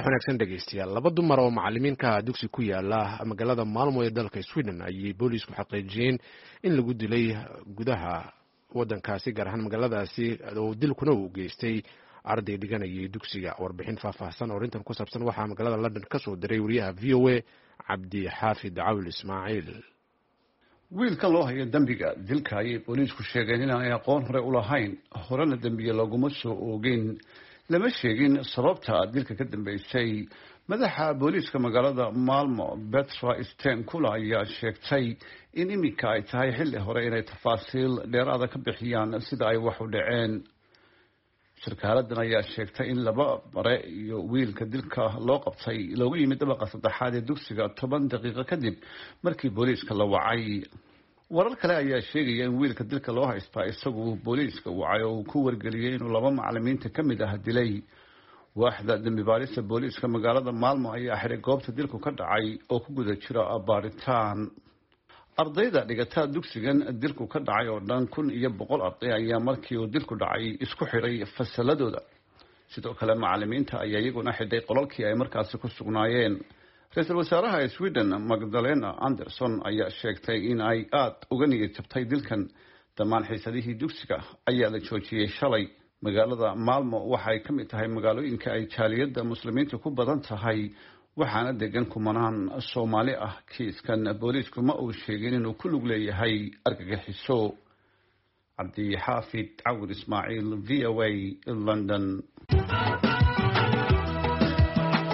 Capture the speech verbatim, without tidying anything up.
Wanaagsan dhegeystayaal, laba dumar oo macalimiinka dugsi ku yaala magaalada Maalmo ee dalka Sweden ayay booliisku xaqiijiyeen in lagu dilay gudaha wadankaasi, gaar ahaan magaaladaasi, oo dilkuna uu geystay arday dhiganayay dugsiga. Warbixin faahfaahsan oo arrintan ku saabsan waxaa magaalada London ka soo diray wariyaha V O A, Cabdi Xaafid Cawil Ismaaciil. Wiilka loo hayo dembiga dilka ayay booliisku sheegeen inaanay aqoon hore u lahayn, horena dembiye looguma soo oogin. Lama sheegin sababta dilka ka dambeysay. Madaxa booliiska magaalada Malmo, Petra Stenkula, ayaa sheegtay in iminka ay tahay xilli hore inay tafaasiil dheeraada ka bixiyaan sida ay wax u dhaceen. Sarkaaladan ayaa sheegtay in laba bare iyo wiilka dilka loo qabtay loogu yimid dabaqa saddexaad ee dugsiga toban daqiiqo kadib markii booliiska la wacay. Warar kale ayaa sheegaya in wiilka dilka loo haystaa isagu booliiska wacay oo uu ku wargeliyey inuu laba macalimiinta ka mid ah dilay. Waaxda dembi baarista booliiska magaalada Maalmo ayaa xiray goobta dilku ka dhacay oo ku guda jira baaritaan. Ardayda dhigataa dugsigan dilku ka dhacay oo dhan kun iyo boqol arday ayaa markii uu dilku dhacay isku xidhay fasaladooda. Sidoo kale macalimiinta ayaa iyaguna xidhay qolalkii ay markaasi ku sugnaayeen. Ra-iisul wasaaraha Sweden, Magdalena Anderson, ayaa sheegtay in ay aada uga niyad jabtay dilkan. Dhammaan xiisadihii dugsiga ayaa la joojiyey shalay. Magaalada Maalmo waxay ka mid tahay magaalooyinka ay jaaliyadda Muslimiinta ku badan tahay, waxaana degan kumanaan Soomaali ah. Kiiskan booliisku ma uu sheegin inuu ku lug leeyahay argagixiso. Cabdixaafid Cawir Ismaaciil, V O A, London.